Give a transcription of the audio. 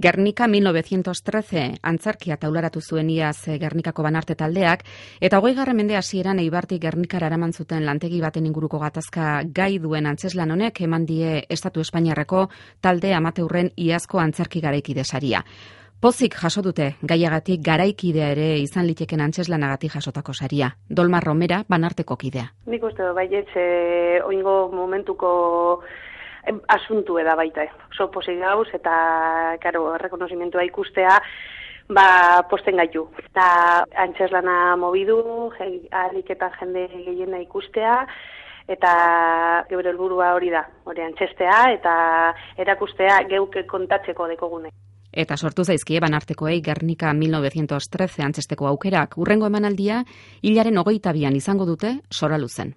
Gernika 1913 antzerkia taularatu zuen iaz Gernikako Banarte taldeak, eta 20. mende hasieran Eibartik Gernikara eraman zuten lantegi baten inguruko gatazka gai duen antzeslan honek eman die Estatu Espainiarreko talde amateurren iazko antzerki garaikide saria. Pozik jaso dute gaiagatik garaikidea ere izan liteken antzeslanagatik jasotako saria. Dolmar Romera, Banarteko kidea. Nik uste baietz oingo momentuko asuntu eda baita. Oso pozik gauz eta, karo, rekonozimentua ikustea, posten gaitu. Eta antzeslana mobidu, aliketan jende gehiena ikustea, eta geure helburua hori da, hori antzestea eta erakustea geuke kontatzeko dekogune. Eta sortu zaizkie Banartekoei Gernika 1913 antzesteko aukerak. Urrengo emanaldia hilaren 22an izango dute Soraluzen.